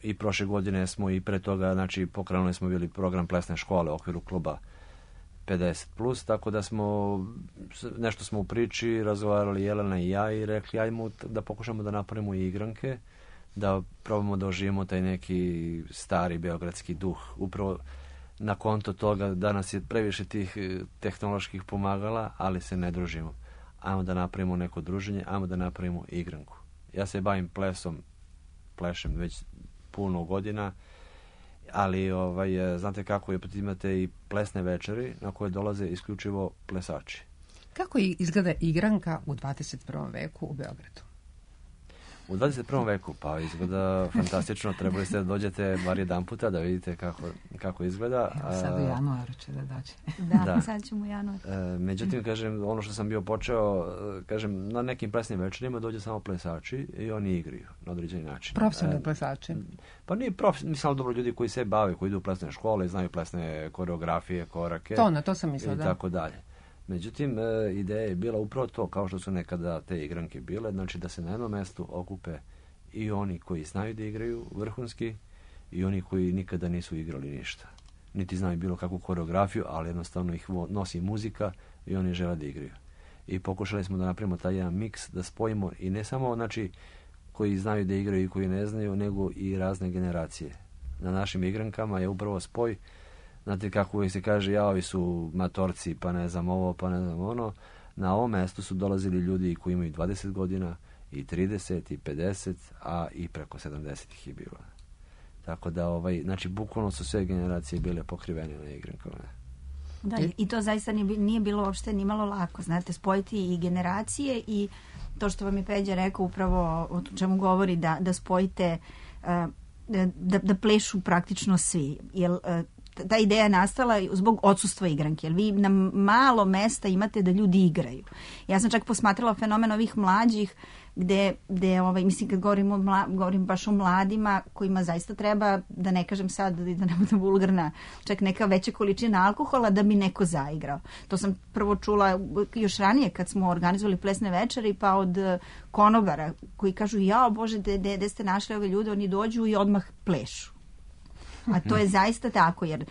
i prošle godine smo i pre toga, znači pokrenuli smo bili program plesne škole u okviru kluba 50+, tako da nešto smo u priči razgovarali Jelena i ja i rekli ajmo da pokušamo da napravimo igranke, da probamo da oživimo taj neki stari beogradski duh. Upravo na konto toga danas je previše tih tehnoloških pomagala, ali se ne družimo. Ajmo da napravimo neko druženje, ajmo da napravimo igranku. Ja se bavim plešem već puno godina, ali znate kako je, imate i plesne večeri na koje dolaze isključivo plesači. Kako izgleda igranka u 21. veku u Beogradu? U 21. veku, pa izgleda fantastično, trebali ste da dođete bar jedan puta da vidite kako izgleda. Evo sad u januaru će da dođe. Da, sad ćemo u januaru. Međutim, kažem, ono što sam bio počeo, kažem, na nekim plesnim večerima dođe samo plesači i oni igraju na određeni način. Profesionalni plesači? Pa nije mislim, dobro, ljudi koji se bave, koji idu u plesne škole, znaju plesne koreografije, korake. To sam mislila, da. I tako dalje. Međutim, ideja je bila upravo to, kao što su nekada te igranke bile, znači da se na jednom mestu okupe i oni koji znaju da igraju vrhunski i oni koji nikada nisu igrali ništa. Niti znaju bilo kakvu koreografiju, ali jednostavno ih nosi muzika i oni žele da igraju. I pokušali smo da napravimo taj jedan miks, da spojimo i ne samo, znači, koji znaju da igraju i koji ne znaju, nego i razne generacije. Na našim igrankama je upravo spoj. Znate kako uvijek se kaže, ovi su matorci, pa ne znam ovo, pa ne znam ono. Na ovom mjestu su dolazili ljudi koji imaju 20 godina, i 30, i 50, a i preko 70 ih je bilo. Tako da, znači, bukvalno su sve generacije bile pokrivene na igrankama. Da, i to zaista nije bilo uopšte ni malo lako, znate, spojiti i generacije i to što vam je Peđa rekao upravo o čemu govori, da spojite, da plešu praktično svi, jer ta ideja je nastala zbog odsustva igranke, jer vi na malo mesta imate da ljudi igraju. Ja sam čak posmatrala fenomen ovih mlađih, gde mislim kad govorim baš o mladima kojima zaista treba, da ne kažem sad da ne budem vulgarna, čak neka veća količina alkohola da bi neko zaigrao. To sam prvo čula još ranije kad smo organizovali plesne večeri, pa od konobara koji kažu, jao Bože, gde ste našli ove ljude, oni dođu i odmah plešu. A to je zaista tako, jer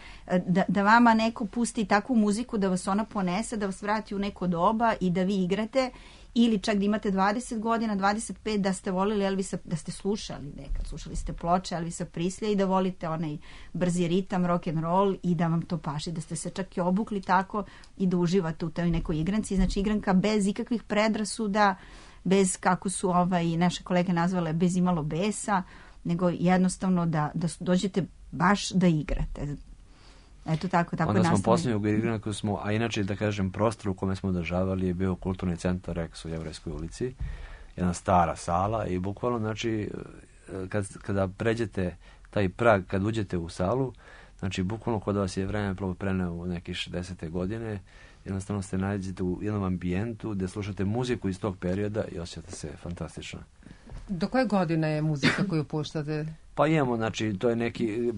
da vama neko pusti takvu muziku da vas ona ponese, da vas vrati u neko doba i da vi igrate, ili čak da imate 20 godina, 25, da ste volili Elvisa, da ste slušali nekad, slušali ste ploče Elvisa Preslya i da volite onaj brzi ritam, rock and roll i da vam to paši, da ste se čak i obukli tako i da uživate u toj nekoj igranci. Znači igranka bez ikakvih predrasuda, bez, kako su naše kolege nazvale, bez imalo besa, nego jednostavno da dođete baš da igrate. Eto tako onda nastavljamo. Smo posljednju igranku a inače da kažem prostor u kome smo održavali je bio kulturni centar Rex u Jevrejskoj ulici, jedna stara sala i bukvalno znači kada pređete taj prag, kad uđete u salu, znači bukvalno kod vas je vreme preneo u neke 60. godine, jednostavno se nađete u jednom ambijentu gdje slušate muziku iz tog perioda i osjećate se fantastično. Do koje godine je muzika koju puštate? Pa imamo, znači, to je neki,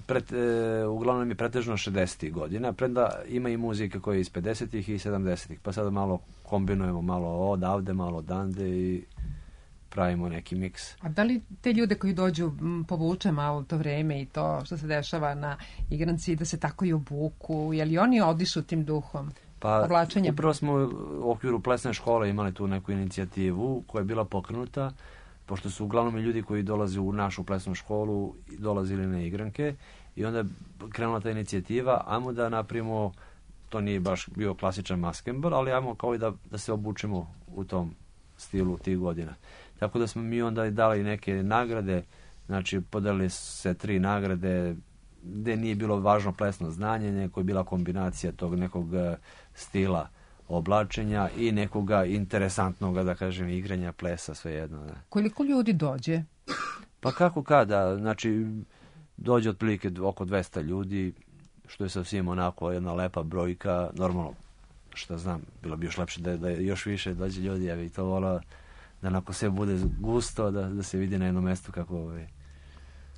uglavnom je pretežno 60. godina, premda ima i muzika koja je iz 50. i 70. Pa sada malo kombinujemo, malo odavde, malo odande i pravimo neki miks. A da li te ljude koji dođu povuče malo to vreme i to što se dešava na igranci, da se tako i obuku, je li oni odišu tim duhom? Pa upravo smo u okviru plesne škole imali tu neku inicijativu koja je bila pokrenuta, pošto su uglavnom ljudi koji dolaze u našu plesnu školu dolazili na igranke i onda je krenula ta inicijativa, ajmo da napravimo, to nije baš bio klasičan maskembal, ali ajmo kao i da se obučimo u tom stilu tih godina. Tako da smo mi onda dali neke nagrade, znači podelili se 3 nagrade gde nije bilo važno plesno znanje, nego je bila kombinacija tog nekog stila oblačenja i nekoga interesantnog, da kažem, igranja plesa, svejedno. Ne. Koliko ljudi dođe? Pa kako kada, znači dođe otprilike oko 200 ljudi, što je sasvim onako jedna lepa brojka, normalno, što znam, bilo bi još lepše da još više dođe ljudi, ja bih to volao da onako sve bude gusto, da se vidi na jednom mjestu kako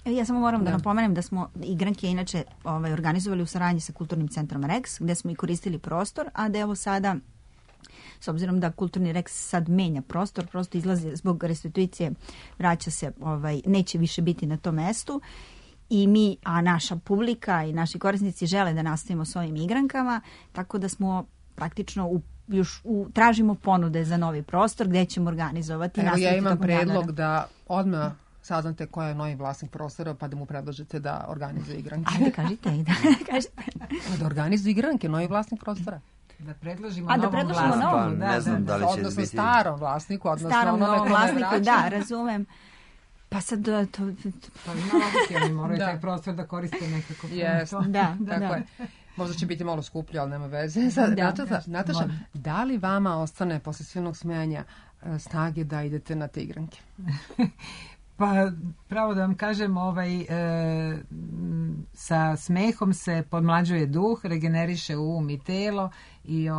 Ja samo moram da napomenem da smo igranke inače organizovali u saradnji sa Kulturnim centrom Rex, gde smo i koristili prostor, a da evo sada, s obzirom da Kulturni Rex sad menja prostor, prosto izlazi zbog restituicije, vraća se, neće više biti na tom mestu i mi, a naša publika i naši korisnici žele da nastavimo s ovim igrankama, tako da smo praktično tražimo ponude za novi prostor gdje ćemo organizovati. Evo ja imam predlog da odmah saznate ko je novi vlasnik prostora pa da mu predložite da organizuje igranke. Ajde, kažite. Da organizuje igranke, novi vlasnik prostora. Da predložimo novom vlasniku. Pa, ne znam da li će odnosno biti... starom vlasniku, odnosno starom novom vlasniku, da, razumem. Pa sad to... Pa ima logike, oni moraju taj prostor da koriste nekako. Da. Tako je. Možda će biti malo skuplje, ali nema veze. Nataša, da li vama ostane posle silnog smejanja snage da idete na te igranke? Pa, pravo da vam kažem, sa smehom se podmlađuje duh, regeneriše um i telo i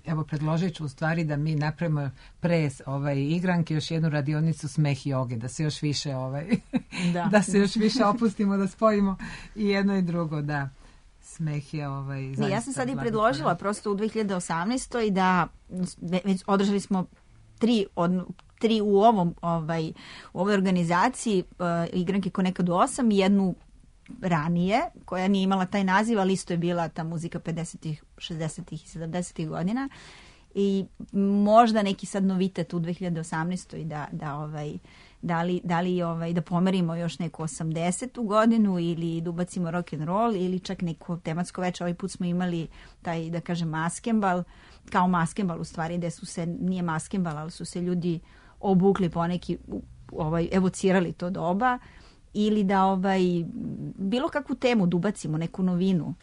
evo predložit ću u stvari da mi napravimo pre igranke još jednu radionicu smeh joge, da se još više da se još više opustimo, da spojimo i jedno i drugo, da. Smeh je zaista... Ja sam sad i predložila prosto u 2018. da već održali smo 3 u ovoj organizaciji igranke ko nekad u 8 i jednu ranije koja nije imala taj naziv, ali isto je bila ta muzika 50-ih, 60-ih i 70-ih godina i možda neki sad novitet u 2018. Da pomerimo još neku 80. godinu ili da ubacimo rock and roll ili čak neko tematsko veče. Ovaj put smo imali taj, da kažem, maskembal, kao maskembal u stvari, gde su se, nije maskembal, ali su se ljudi obukli poneki, evocirali to doba ili da bilo kakvu temu da ubacimo, neku novinu.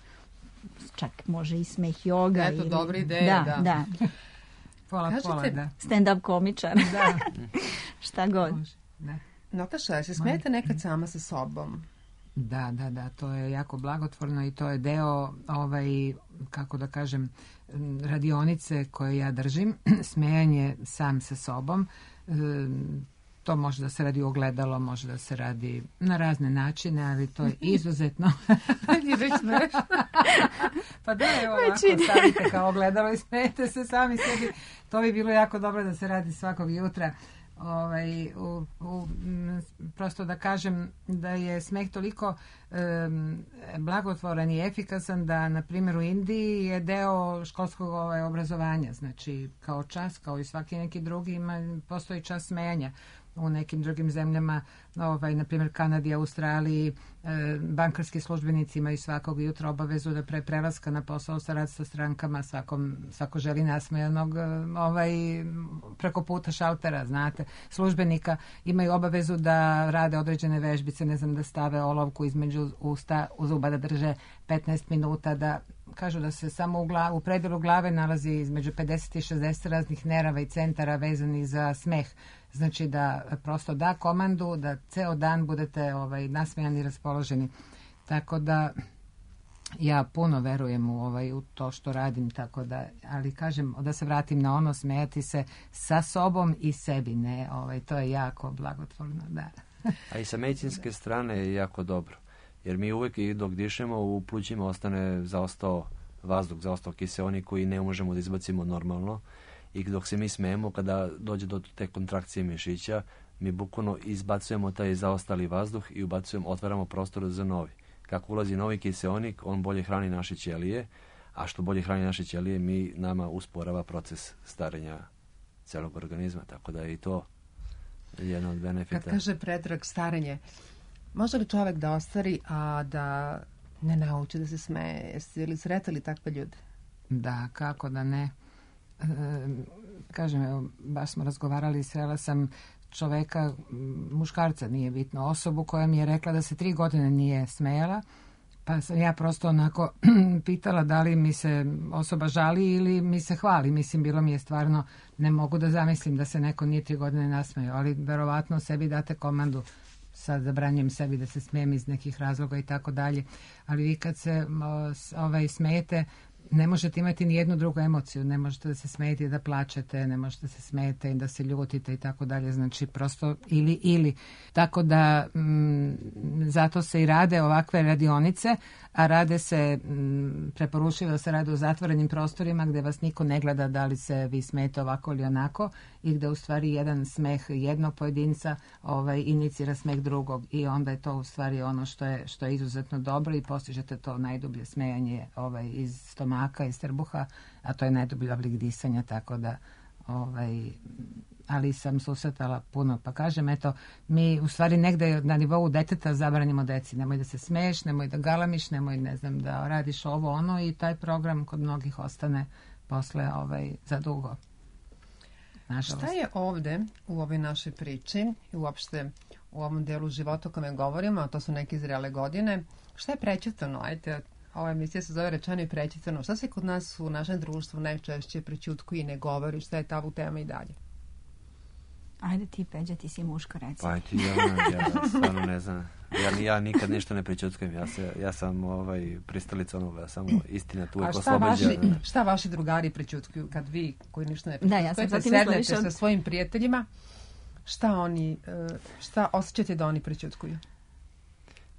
Čak može i smeh joga. Eto, dobra ideja, da. Pola, da. Stand-up komičar. Da. Šta god. Da. Nataša, se smijete nekad sama sa sobom? Da, to je jako blagotvorno i to je deo kako da kažem, radionice koje ja držim, smejanje sam sa sobom. To može da se radi ogledalo, može da se radi na razne načine, ali to je izuzetno... Je već smešno. Pa da, evo ovako, stavite kao ogledalo i smijete se sami sebi. To bi bilo jako dobro da se radi svakog jutra. Prosto da kažem da je smeh toliko blagotvoran i efikasan da, na primjer, u Indiji je deo školskog obrazovanja. Znači, kao čas, kao i svaki neki drugi, postoji čas smejanja. U nekim drugim zemljama, na primjer Kanadi, Australiji, bankarski službenici imaju svakog jutra obavezu da pre prelaska na posao sa strankama svako želi nasmejanog preko puta šaltera, znate. Službenika imaju obavezu da rade određene vežbice, ne znam, da stave olovku između usta, u zuba da drže 15 minuta, da kažu da se samo u predelu glave nalazi između 50 i 60 raznih nerava i centara vezani za smeh. Znači da prosto da komandu da ceo dan budete nasmejani i raspoloženi. Tako da ja puno verujem u to što radim, tako da, ali kažem, da se vratim na ono, smejati se sa sobom i sebi, ne, to je jako blagotvorno, da. A i sa medicinske strane je jako dobro, jer mi uvijek dok dišemo u plućima ostane zaostao vazduh, zaostao kiseonik koji ne možemo da izbacimo normalno. I dok se mi smejemo, kada dođe do te kontrakcije mišića, mi bukvalno izbacujemo taj zaostali vazduh i otvaramo prostor za novi. Kako ulazi novi kiseonik, on bolje hrani naše ćelije, a što bolje hrani naše ćelije, nama usporava proces starenja celog organizma, tako da je i to jedan od benefita. Kad kaže Predrag starenje, može li čovjek da ostari, a da ne nauči da se smeje? Jeste li sretali takve ljude? Da, kako da ne. Kažem, evo, baš smo razgovarali, srela sam čoveka, muškarca, nije bitno, osobu koja mi je rekla da se 3 godine nije smejala, pa sam ja prosto onako pitala da li mi se osoba žali ili mi se hvali. Mislim, bilo mi je stvarno, ne mogu da zamislim da se neko nije 3 godine nasmejao, ali verovatno sebi date komandu, sad zabranjujem sebi da se smijem iz nekih razloga i tako dalje, ali vi kad se smejete, ne možete imati ni jednu drugu emociju, ne možete da se smijete i da plačete, ne možete se smijete i da se ljutite i tako dalje, znači prosto ili. Tako da zato se i rade ovakve radionice, a rade se, preporučuju da se rade u zatvorenim prostorima gdje vas niko ne gleda da li se vi smijete ovako ili onako i gdje u stvari jedan smeh jednog pojedinca inicira smeh drugog i onda je to u stvari ono što je izuzetno dobro i postižete to najdublje smejanje iz stomaka, iz trbuha, a to je najdublji oblik disanja, tako da ali sam susretala puno, pa kažem, eto, mi u stvari negde na nivou deteta zabranimo deci, nemoj da se smeješ, nemoj da galamiš, nemoj, ne znam, da radiš ovo, ono, i taj program kod mnogih ostane posle za dugo. Nažalost. Šta je ovde u ovoj našoj priči i uopšte u ovom delu života o kome govorimo, a to su neke zrele godine, šta je prećutano? Ajde, ova emisija se zove Rečeno i prećutano. Šta se kod nas u našem društvu najčešće prećutkuje i ne govori? Šta je tabu tema i dalje? Ajde ti, Peđa, ti si muško, reci. Pa ti, ja stvarno ne znam. Ja nikad ništa ne prećutkujem. Ja sam pristalica onoga, samo istina tu uvijek oslobođa. Šta vaši drugari prećutkuju kad vi koji ništa ne prećutkujete, sednete sa svojim prijateljima, šta osjećate da oni prećutkuju?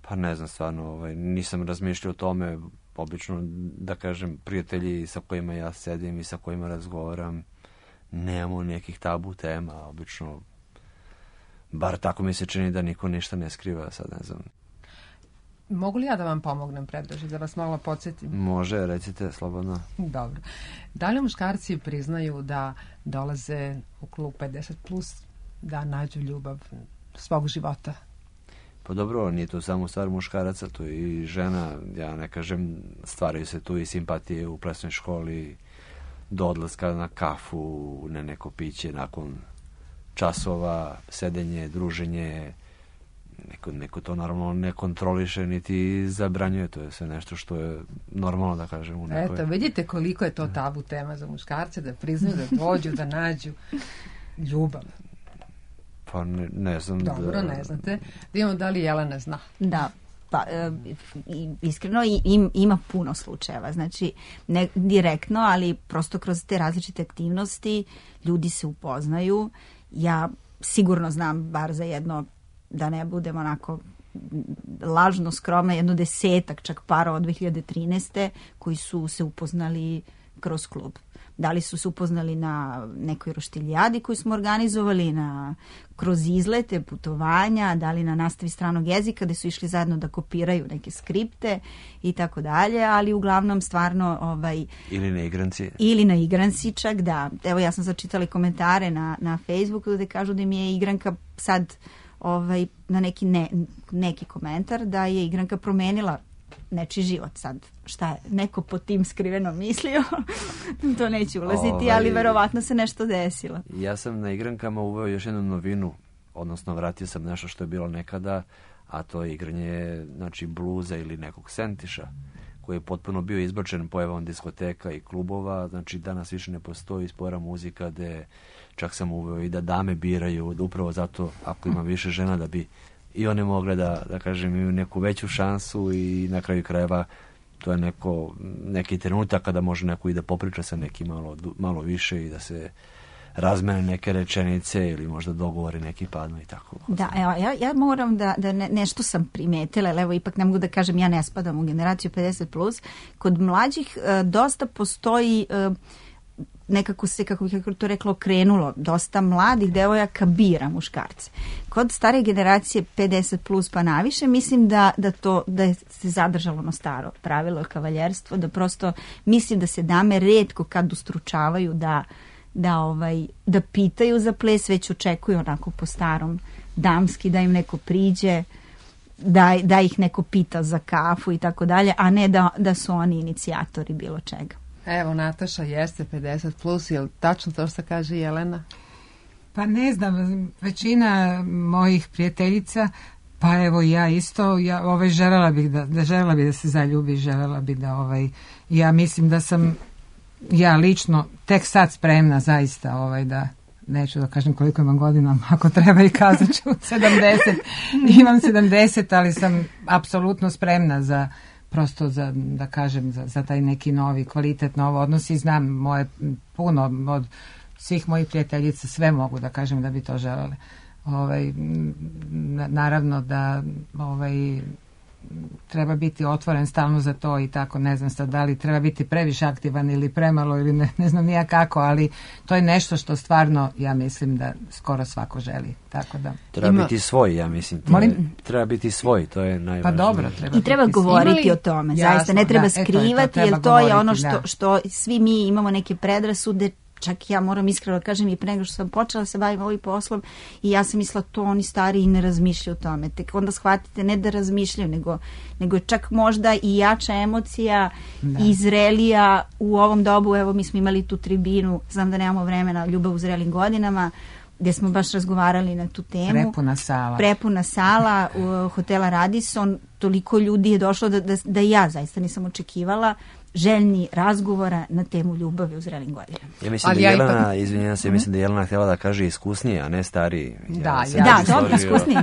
Pa ne znam, stvarno, nisam razmišljao o tome. Obično, da kažem, prijatelji sa kojima ja sedim i sa kojima razgovaram, nemamo nekih tabu tema, obično, bar tako mi se čini da niko ništa ne skriva, sad ne znam. Mogu li ja da vam pomognem, Predraže, da vas malo podsjetim? Može, recite, slobodno. Dobro. Da li muškarci priznaju da dolaze u klub 50+, da nađu ljubav svog života? Pa dobro, nije to samo stvar muškaraca, tu i žena, ja ne kažem, stvaraju se tu i simpatije u plesnoj školi, do odlaska na kafu, na neko piće, nakon časova, sedenje, druženje, neko to naravno ne kontroliše niti zabranjuje, to je sve nešto što je normalno, da kažem, u nekoj... Eto, vidite koliko je to tabu tema za muškarce, da priznaju, da dođu, da nađu ljubav. Pa ne znam. Dobro, ne znate. Da imamo da li Jelena zna. Da, pa iskreno ima puno slučajeva, znači ne direktno, ali prosto kroz te različite aktivnosti ljudi se upoznaju. Ja sigurno znam bar za jedno, da ne budem onako lažno skromna, jedno 10 čak para od 2013. koji su se upoznali kroz klub. Da li su se upoznali na nekoj roštiljadi koju smo organizovali, kroz izlete, putovanja, da li na nastavi stranog jezika gde su išli zajedno da kopiraju neke skripte i tako dalje, ali uglavnom stvarno... Ili na igranci. Ili na igranci čak, da. Evo ja sam začitala komentare na Facebooku gde kažu da mi je igranka sad na neki komentar da je igranka promenila nečiji život. Sad, šta je neko pod tim skriveno mislio, to neću ulaziti, ali verovatno se nešto desilo. Ja sam na igrankama uveo još jednu novinu, odnosno vratio sam nešto što je bilo nekada, a to je igranje, znači, bluza ili nekog sentiša, koji je potpuno bio izbačen pojavom diskoteka i klubova, znači danas više ne postoji spora muzika, gde čak sam uveo i da dame biraju, upravo zato, ako ima više žena, da bi i one mogle da kažem, imaju neku veću šansu i na kraju krajeva to je neki trenutak kada može neko i da popriča sa nekim malo više i da se razmene neke rečenice ili možda dogovori neki padnu i tako. Da, evo, ja moram da nešto sam primetila, ali evo ipak ne mogu da kažem, ja ne spadam u generaciju 50+. Kod mlađih dosta postoji nekako se, kako bih to rekla, okrenulo. Dosta mladih devojaka bira muškarce. Kod stare generacije 50+ pa naviše, mislim da se zadržalo ono staro pravilo kavaljerstvo, da prosto mislim da se dame retko kad ustručavaju da pitaju za ples, već očekuju onako po starom damski, da im neko priđe, da ih neko pita za kafu i tako dalje, a ne da su oni inicijatori bilo čega. Evo, Nataša jeste 50+, je li tačno to što kaže Jelena? Pa ne znam, većina mojih prijateljica, pa evo ja isto, želela bih da se zaljubi, želela bih da ja mislim da sam ja lično tek sad spremna zaista da, neću da kažem koliko imam godina, ako treba i kazat ću 70, imam 70, ali sam apsolutno spremna za prosto da kažem za taj neki novi kvalitet, novo odnos i znam moje puno od svih mojih prijateljica sve mogu da kažem da bi to želele. Naravno da treba biti otvoren stalno za to i tako, ne znam sad da li treba biti previše aktivan ili premalo ili ne znam nija kako, ali to je nešto što stvarno ja mislim da skoro svako želi, tako da. Treba biti svoj, ja mislim. Treba biti svoj, to je najvažnije. Pa dobro, i treba govoriti o tome, zaista, ne treba skrivati, jer to je ono što svi mi imamo neke predrasude. Čak ja moram iskreno kažem i pre nego što sam počela se bavim ovim poslom i ja sam mislila to oni stari i ne razmišljaju o tome. Tek onda shvatite ne da razmišljaju, nego čak možda i jača emocija i zrelija u ovom dobu. Evo mi smo imali tu tribinu, znam da nemamo vremena, Ljubav u zrelim godinama, gdje smo baš razgovarali na tu temu. Prepuna sala hotela Radisson, toliko ljudi je došlo da ja zaista nisam očekivala, željni razgovora na temu ljubavi u zrelim godinama. Ja mislim da Jelena, izvinjam se, mislim da Jelena htjela da kaže iskusnije, a ne stariji. Dobro, iskusnije.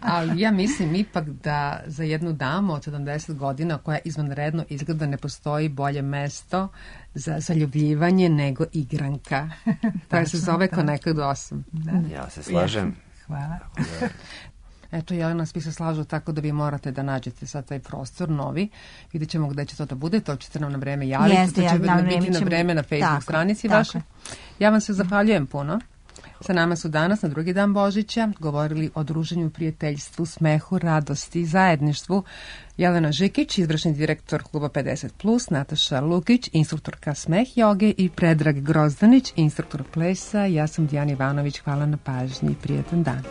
Ali ja mislim ipak da za jednu damu od 70 godina koja izvanredno izgleda ne postoji bolje mesto za zaljubljivanje nego igranka. Tako se zove Connected 8. Ja se slažem. Hvala. Eto, Jelena, svi se slažu tako da vi morate da nađete sad taj prostor novi. Vidjet ćemo gde će to da bude, to ćete nam na vreme javiti, to će biti na vreme na Facebook stranici vaše. Ja vam se zahvaljujem puno. Sa nama su danas na drugi dan Božića govorili o druženju, prijateljstvu, smehu, radosti i zajedništvu Jelena Žikić, izvršni direktor kluba 50+, Nataša Lukić, instruktorka smeh joge i Predrag Grozdanić, instruktor plesa. Ja sam Dijana Ivanović, hvala na pažnji i prijetan dan.